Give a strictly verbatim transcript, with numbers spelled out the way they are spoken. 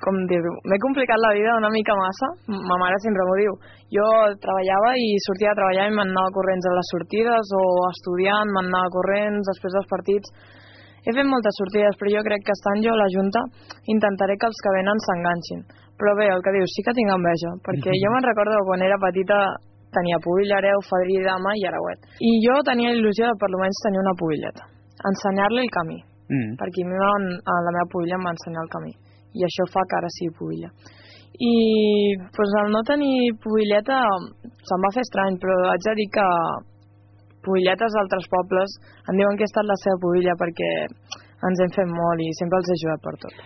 com dir-ho, m'he complicat la vida una mica massa. Ma mare sempre m'ho diu. Jo treballava i sortia a treballar i me'n anava corrents a les sortides, o estudiant, me'n anava corrents després dels partits. He fet moltes sortides, però jo crec que estant jo a la Junta intentaré que els que venen s'enganxin. Però bé, el que dius, sí que tinc enveja, perquè jo me'n recordo que quan era petita tenia pubilla, hereu, fadrí, dama i arauet. I jo tenia il·lusió de per almenys tenir una pubilleta, ensenyar-li el camí, mm. perquè a mi la meva pubilla em va ensenyar el camí, i això fa que ara sigui pubilla. I doncs, al no tenir pubilleta se'm va fer estrany, però haig de dir que pubilletes d'altres pobles em diuen que he estat la seva pubilla perquè ens hem fet molt i sempre els he ajudat per tot.